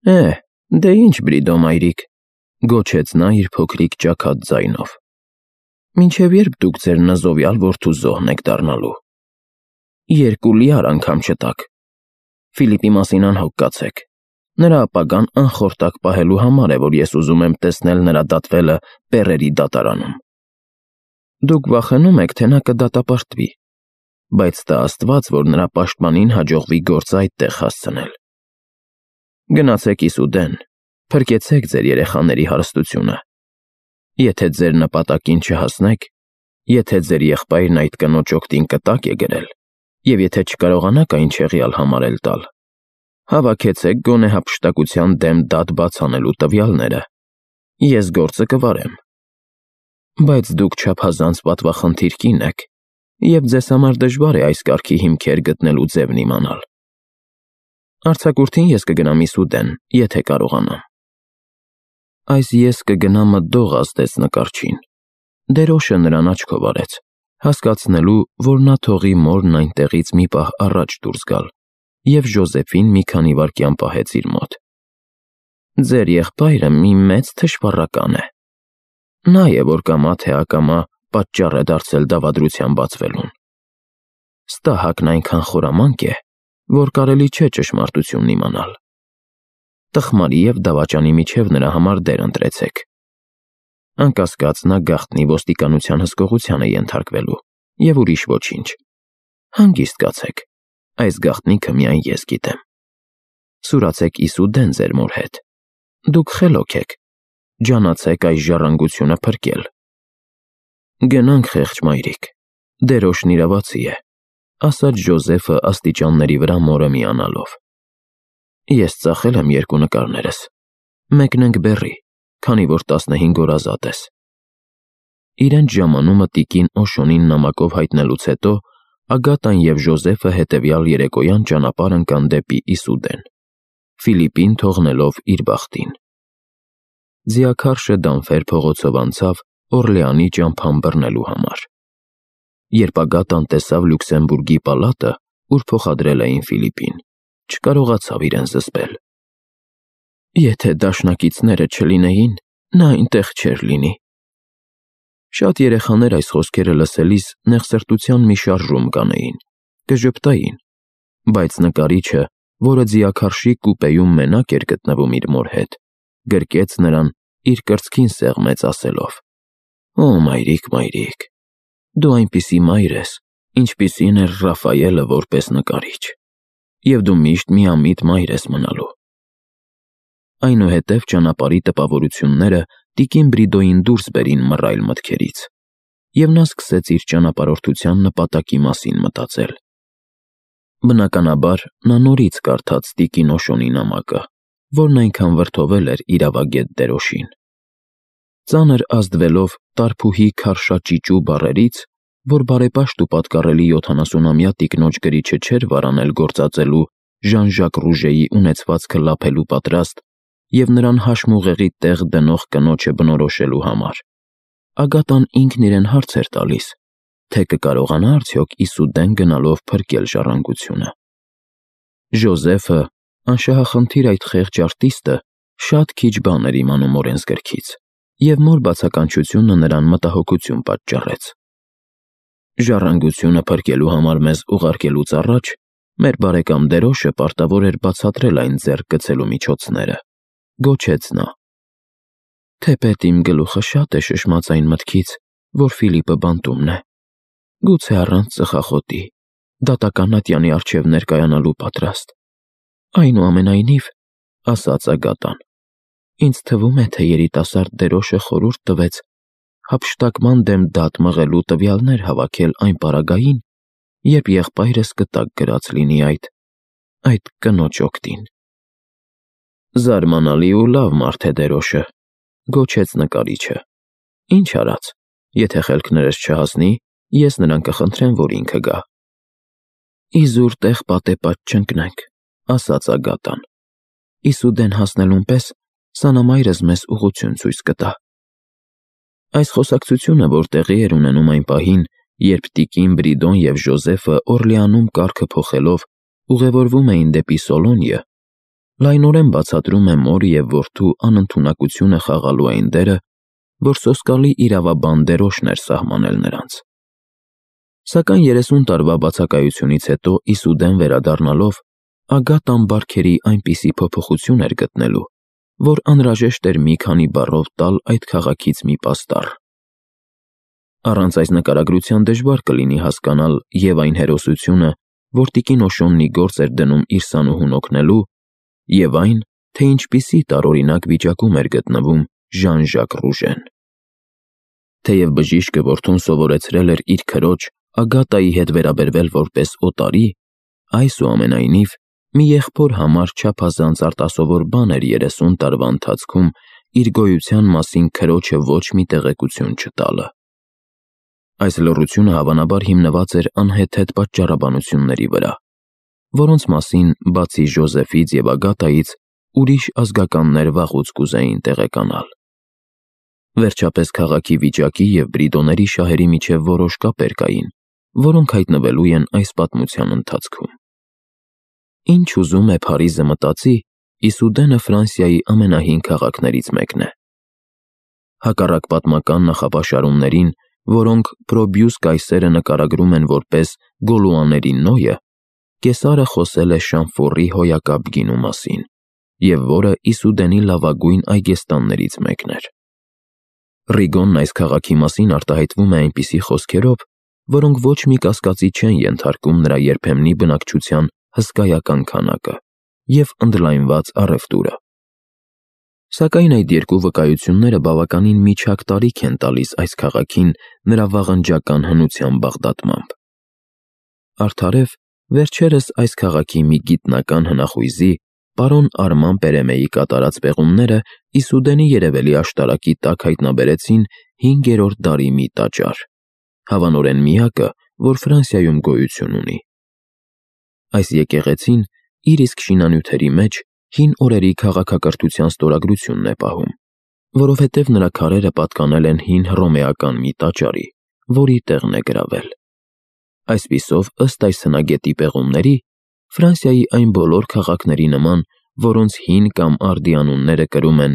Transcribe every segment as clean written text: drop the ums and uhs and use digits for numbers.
Դե ինչ Բրիդո մայրիկ, գոչեց նա իր փոքրիկ ճաքած ձայնով։ Մինչև երբ դուք ձեր նզովյալ որդու զոհն եք դառնալու։ 2 լիար անգամ չտաք։ Ֆիլիպի մասին անհոգ կացեք։ Նրա ապագան անխորտակ պահելու համար է, որ ես ուզում եմ տեսնել նրա դատվելը Պեռերի դատարանում։ Դուք վախենում եք, թե նա կդատապարտվի, բայց տա Աստված, որ նրա պաշտպանին հաջողվի գործը այդտեղ հասցնել։ Գնացեք Իսուդեն, փրկեցեք ձեր երեխաների հարստությունը։ Եթե ձեր նպատակին չհասնեք, եթե ձեր եղբայրն այդ կնոջ օգտին կտակ է գրել, և եթե չկարողանաք այն չեղյալ համարել տալ, հավաքեցեք գոնե հափշտակության դեմ դատ բաց անելու տվյալները, ես գործը կվարեմ։ Բայց դուք չափազանց պատվախնդիր կին եք, և ձեզ համար դժվար է այս կարգի հիմքեր գտնելու ձևն իմանալ։ Արձակուրդին ես կգնամ Իսուդեն, եթե կարողանամ։ Այս ես կգնա մտդող ազդեց նկարչին։ Դերոշը նրան աչքով արեց, հասկացնելու, որ նա թողի մորն այնտեղից մի պահ առաջ դուրս գալ, և Ժոզեֆին մի քանի վայրկյան պահեց իր մոտ։ Ձեր եղբայրը մի մեծ թշվառական է։ Նա է, որ կամա թե ակամա պատճառ է դարձել դավադրության բացվելուն։ Ստահակն այնքան խորամանկ է, որ կարելի չէ ճշմարտությունն իմանալ։ Տխմարի և դավաճանի միջև նրա համար դեր ընտրեցեք։ Անկասկած նա գաղտնի ոստիկանության հսկողության է ենթարկվելու, և ուրիշ ոչինչ։ Հանգիստ կացեք, այս գաղտնիքը միայն ես գիտեմ։ Սուրացեք Իսուդեն ձեր մոր հետ։ Դուք խելոք եք, ջանացեք այս ժառանգությունը փրկել։ Գնանք, խեղճ մայրիկ, դերոշն իրավացի է, ասաց Ժոզեֆը աստիճանների վրա մորը միանալով։ Ես ծախել եմ 2 նկարներս, մեկն ենք բեռի, քանի որ 15 օր ազատ ես։ Իրենց ժամանումը տիկին Օշոնին նամակով հայտնելուց հետո Ագատան և Ժոզեֆը հետևյալ երեկոյան ճանապարհ ընկան դեպի Իսուդեն, Ֆիլիպին թողնելով իր բախտին։ Ձիաքարշը դանֆեր փողոցով անցավ Օրլեանի ճամփան բռնելու համար։ Երբ Ագատան տեսավ Լյուքսեմբուրգի պալատը, ուր փոխադրել էին Ֆիլիպին, չկարողացավ իրեն զսպել։ Եթե դաշնակիցները չլինեին, նա այնտեղ չէր լինի։ Շատ երեխաներ այս խոսքերը լսելիս նեղսրտության մի շարժում կանեին, կժպտային, բայց նկարիչը, որը ձիաքարշի կուպեում մենակ էր գտնվում իր մոր հետ, գրկեց նրան, իր կրծքին սեղմեց ասելով. «Օ, մայրիկ, մայրիկ, դու այնպիսի մայր ես, ինչպիսին էր Ռաֆայելը որպես նկարիչ, և դու միշտ միամիտ մայր ես մնալու»։ Այնուհետև ճանապարհի տպավորությունները տիկին Բրիդոյին դուրս բերին մռայլ մտքերից, և նա սկսեց իր ճանապարհորդության նպատակի մասին մտածել։ Բնականաբար, նա նորից կարդաց տիկին Օշոնի նամակը, որն այնքան վրդովել էր իրավագետ Դերոշին։ Ծանր ազդվելով տարփուհի քարշաճիճու բառերից, որ բարեպաշտ ու պատկառելի 70-ամյա տիկնոջ գրիչը չէր վարանել գործածելու Ժան-Ժակ Ռուժեի ունեցվածքը լափելու պատրաստ և նրան հաշմուղեղի տեղ դնող կնոջը բնորոշելու համար, Ագատան ինքն իրեն հարց էր տալիս, թե կկարողանա արդյոք Իսուդեն գնալով փրկել ժառանգությունը։ Ժոզեֆը, անշահախնդիր այդ խեղճ արտիստը, շատ քիչ բան էր իմանում օրենսգրքից, և մոր բացականչությունը նրան մտահոգություն պատճառեց։ Ժառանգությունը փրկելու համար մեզ ուղարկելուց առաջ մեր բարեկամ Դերոշը պարտավոր էր բացատրել այն ձեռք գցելու միջոցները, գոչեց նա։ Թեպետ իմ գլուխը շատ է շշմած այն մտքից, որ Ֆիլիպը բանտումն է, գուցե առանց ծխախոտի, դատական ատյանի առջև ներկայանալու պատրաստ։ Այնուամենայնիվ, ասաց Ագատան, ինձ թվում է, թե երիտասարդ Դերոշը խորհուրդ տվեց հափշտակման դեմ դատ մղելու տվյալներ հավաքել այն պարագային, երբ եղբայրս կտակ գրած լինի այդ կնոջ օգտին։ Զարմանալի ու լավ մարդ է Դերոշը, գոչեց նկարիչը։ Ինչ արած, եթե խելքներս չհասնի, ես նրան կխնդրեմ, որ ինքը գա։ Իզուր տեղ պատեպատ չընկնենք, ասաց Ագատան։ Իսուդեն հասնելուն պես սանամայրս մեզ ուղղություն ցույց կտա։ Այս խոսակցությունը, որ տեղի էր ունենում այն պահին, երբ տիկին Բրիդոն և Ժոզեֆը Օրլեանում կարգը փոխելով ուղևորվում էին դեպի Սոլոնիը, լայնորեն բացատրում է մոր և որդու անընդունակությունը խաղալու այն դերը, որ սոսկալի իրավաբան դերոշն էր սահմանել նրանց։ Սակայն 30 տարվա բացակայությունից հետո Իսուդեն վերադառնալով, Ագատան բարքերի այնպիսի փոփոխություն էր գտնելու, որ անհրաժեշտ էր մի քանի բառով տալ այդ քաղաքից մի պաստառ։ Առանց այս նկարագրության դժվար կլինի հասկանալ և այն հերոսությունը, որ տիկին Օշոննի գործ էր դնում իր սանուհուն օգնելու, և այն, թե ինչպիսի տարօրինակ վիճակում էր գտնվում Ժան-Ժակ Ռուժեն։ Թեև բժիշկը որդուն սովորեցրել էր իր քրոջ Ագատայի հետ վերաբերվել որպես օտարի, այսուամենայնիվ, մի եղբոր համար չափազանց արտասովոր բան էր 30 տարվա ընթացքում իր գոյության մասին քրոջը ոչ մի տեղեկություն չտալը։ Այս լռությունը հավանաբար հիմնված էր անհեթեթ պատճառաբանությունների վրա, որոնց մասին, բացի Ժոզեֆից և Ագատայից, ուրիշ ազգականներ վաղուց կուզեին տեղեկանալ։ Վերջապես քաղաքի վիճակի և Բրիդոների շահերի միջև որոշ կապեր կային, որոնք հայտնվելու են այս պատմության ընթացքում։ Ինչ ուզում է Փարիզը մտածի, Իսուդենը Ֆրանսիայի ամենահին քաղաքներից մեկն է։ Հակառակ պատմական նախապաշարումներին, որոնք Պրոբյուս կայսերը նկարագրում են որպես Գոլուաների Նոյը, կեսարը խոսել է Շամֆորի հոյակապ գինու մասին, և որը Իսուդենի լավագույն այգեստաններից մեկն էր։ Ռիգոնն այս քաղաքի մասին արտահայտվում է այնպիսի խոսքերով, որոնք ոչ մի կասկածի չեն ենթարկում նրա երբեմնի բնակչության հսկայական քանակը և ընդլայնված առևտուրը։ Սակայն այդ երկու վկայությունները բավականին միջակ տարիք են տալիս այս քաղաքին նրա վաղնջական հնության բաղդատմամբ։ Արդարև, վերջերս այս քաղաքի մի գիտնական հնախույզի, պարոն Արման Պերեմեի կատարած պեղումները Իսուդենի երևելի աշտարակի տակ հայտնաբերեցին 5-րդ դարի մի տաճար, հավանորեն միակը, որ Ֆրանսիայում գոյություն ունի։ Այս եկեղեցին իր իսկ շինանյութերի մեջ հին օրերի քաղաքակրթության ստորագրությունն է պահում, որովհետև նրա քարերը պատկանել են հին հռոմեական մի տաճարի, որի տեղն է գրավել։ Այսպիսով, ըստ այս հնագետի պեղումների, Ֆրանսիայի այն բոլոր քաղաքների նման, որոնց հին կամ արդի անունները կրում են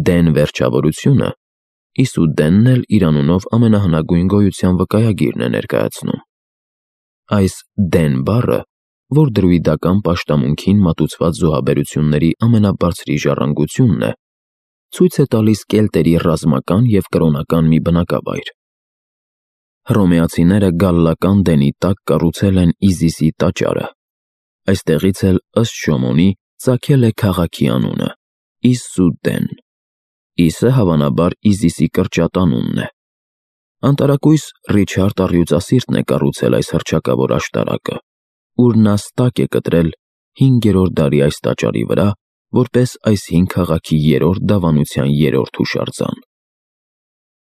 Դեն վերջավորությունը, Իսուդենն էլ իր անունով ամենահնագույն գոյության վկայագիրն է ներկայացնում։ Այս Դեն բառը, որ դրուիդական պաշտամունքին մատուցված զոհաբերությունների ամենաբարձրի ժառանգությունն է, ցույց է տալիս կելտերի ռազմական և կրոնական մի բնակավայր։ Հռոմեացիները գալլական Դենի տակ կառուցել են Իզիսի տաճարը։ Այստեղից էլ, ըստ Շոմոնի, ծագել է քաղաքի անունը՝ Իսուդեն։ Իսը հավանաբար Իզիսի կրճատանունն է։ Անտարակույս Ռիչարդ Առյուծասիրտն է կառուցել այս հռչակավոր աշտարակը, ուր նա ստակ է կտրել 5-րդ դարի այս տաճարի վրա, որպես այս հին քաղաքի 3-րդ դավանության 3-րդ հուշարձան։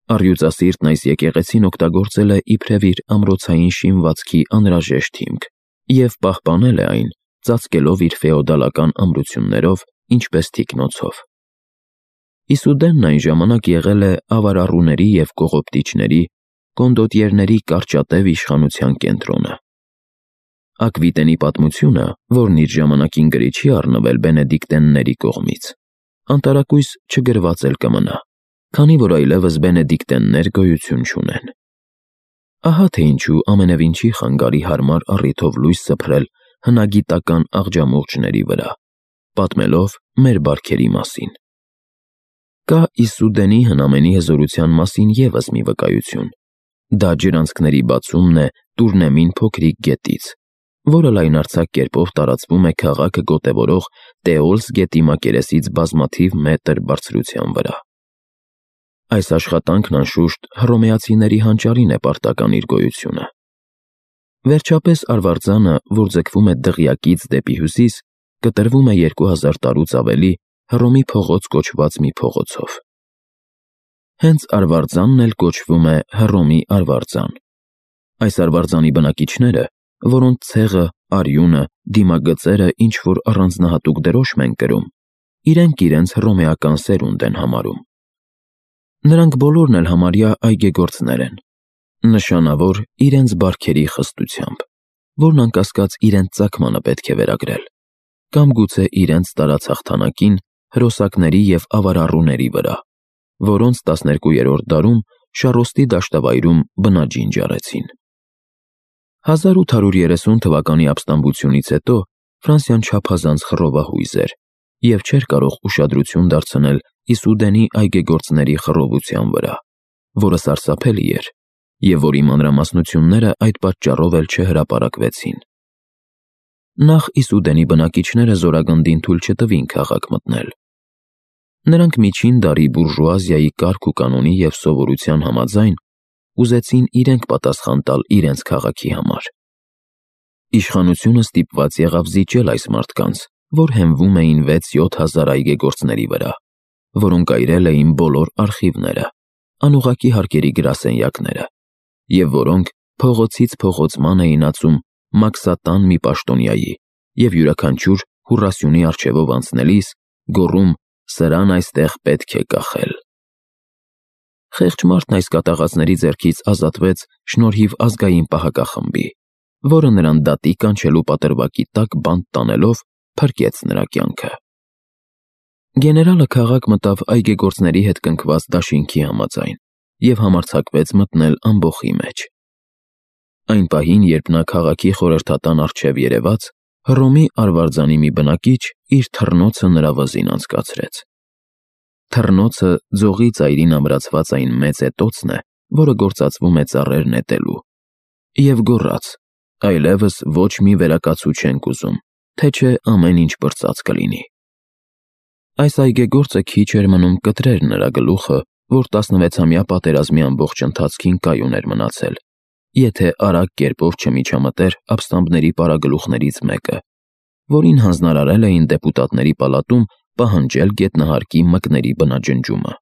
Առյուծասիրտն այս եկեղեցին օգտագործել է իբրև իր ամրոցային շինվածքի անհրաժեշտ հիմք և պահպանել է այն, ծածկելով իր ֆեոդալական ամրություններով, ինչպես թիկնոցով։ Իսուդենն այն ժամանակ եղել է ավարառուների և կողոպտիչների, կոնդոտիերների կարճատև իշխանության կենտրոնը։ Ակվիտենի պատմությունը, որն իր ժամանակին գրի չի առնվել բենեդիկտենների կողմից, անտարակույս չգրված էլ կմնա, քանի որ այլևս բենեդիկտեններ գոյություն չունեն։ Ահա թե ինչու ամենևին չի խանգարի հարմար առիթով լույս սփռել հնագիտական աղջամուղջների վրա, պատմելով մեր բարքերի մասին։ Կա Իսուդենի հնամենի հզորության մասին ևս մի վկայություն։ Դա ջրանցքների բացումն է Տուրնեմին փոքրիկ գետից, որը լայնարձակ կերպով տարածվում է քաղաքը գոտևորող Տեոլս գետի մակերեսից բազմաթիվ մետր բարձրության վրա։ Այս աշխատանքն անշուշտ հռոմեացիների հանճարին է պարտական իր գոյությունը։ Վերջապես արվարձանը, որ ձգվում է դղյակից դեպի հյուսիս, կտրվում է 2000 տարուց ավելի Հռոմի փողոց կոչված մի փողոցով։ Հենց արվարձանն էլ կոչվում է Հռոմի արվարձան։ Այս արվարձանի բնակիչները, որոնց ցեղը, արյունը, դիմագծերը ինչ-որ առանձնահատուկ դրոշմ են կրում, իրենք հռոմեական սերունդ են համարում։ Նրանք բոլորն էլ համարյա այգեգործներ են, նշանավոր իրենց բարքերի խստությամբ, որն անկասկած իրենց ծագմանը պետք է վերագրել, կամ գուցե իրենց տարած հաղթանակին հրոսակների և ավարառուների վրա, որոնց 12-րդ դարում Շառոստի դաշտավայրում բնաջին ջարեցին։ 1830 թվականի ապստամբությունից հետո Ֆրանսիան չափազանց խռովահույզ էր և չէր կարող ուշադրություն դարձնել Իսուդենի այգեգործների խռովության վրա, որը սարսափելի էր, և որի մանրամասնությունները այդ պատճառով էլ չհրապարակվեցին։ Նախ Իսուդենի բնակիչները զորագնդին թույլ չտվին քաղաք մտնել։ Նրանք միջին դարի բուրժուազիայի կարգ ու կանոնի և սովորության համաձայն ուզեցին իրենք պատասխան տալ իրենց քաղաքի համար։ Իշխանությունը ստիպված եղավ զիջել այս մարդկանց, որ հենվում էին 6-7 հազար այգեգործների վրա, որոնք այրել էին բոլոր արխիվները, անուղղակի հարկերի գրասենյակները, և որոնք փողոցից փողոց ման էին ածում մաքսատան մի պաշտոնյայի և յուրաքանչյուր հուռասյունի առջևով անցնելիս գոռում «Սրան այստեղ պետք է կախել»։ Խեղճ մարդն այս կատաղածների ձեռքից ազատվեց շնորհիվ ազգային պահակախմբի, որը նրան դատի կանչելու պատրվակի տակ բանտ տանելով փրկեց նրա կյանքը։ Գեներալը քաղաք մտավ այգեգործների հետ կնքված դաշինքի համաձայն և համարձակվեց մտնել ամբոխի մեջ։ Այն պահին, երբ նա քաղաքի խորհրդատան առջև երևաց, Հռոմի արվարձանի մի բնակիչ իր թռնոցը նրա վզին անցկացրեց։ Թռնոցը ձողի ծայրին ամրացված այն մեծ էտոցն է, որը գործածվում է ծառեր նետելու, և գոռաց. «Այլևս ոչ մի վերակացու չենք ուզում, թե չէ ամեն ինչ պրծած կլինի»։ Այս այգեգործը քիչ էր մնում կտրեր նրա գլուխը, որ 16-ամյա պատերազմի ամբողջ ընթացքին կայուն էր մնացել, եթե արագ կերպով չմիջամտեր ապստամբների պարագլուխներից մեկը, որին հանձնարարել էին դեպուտատների պալատում պահանջել գետնահարկի մկների բնաջնջումը։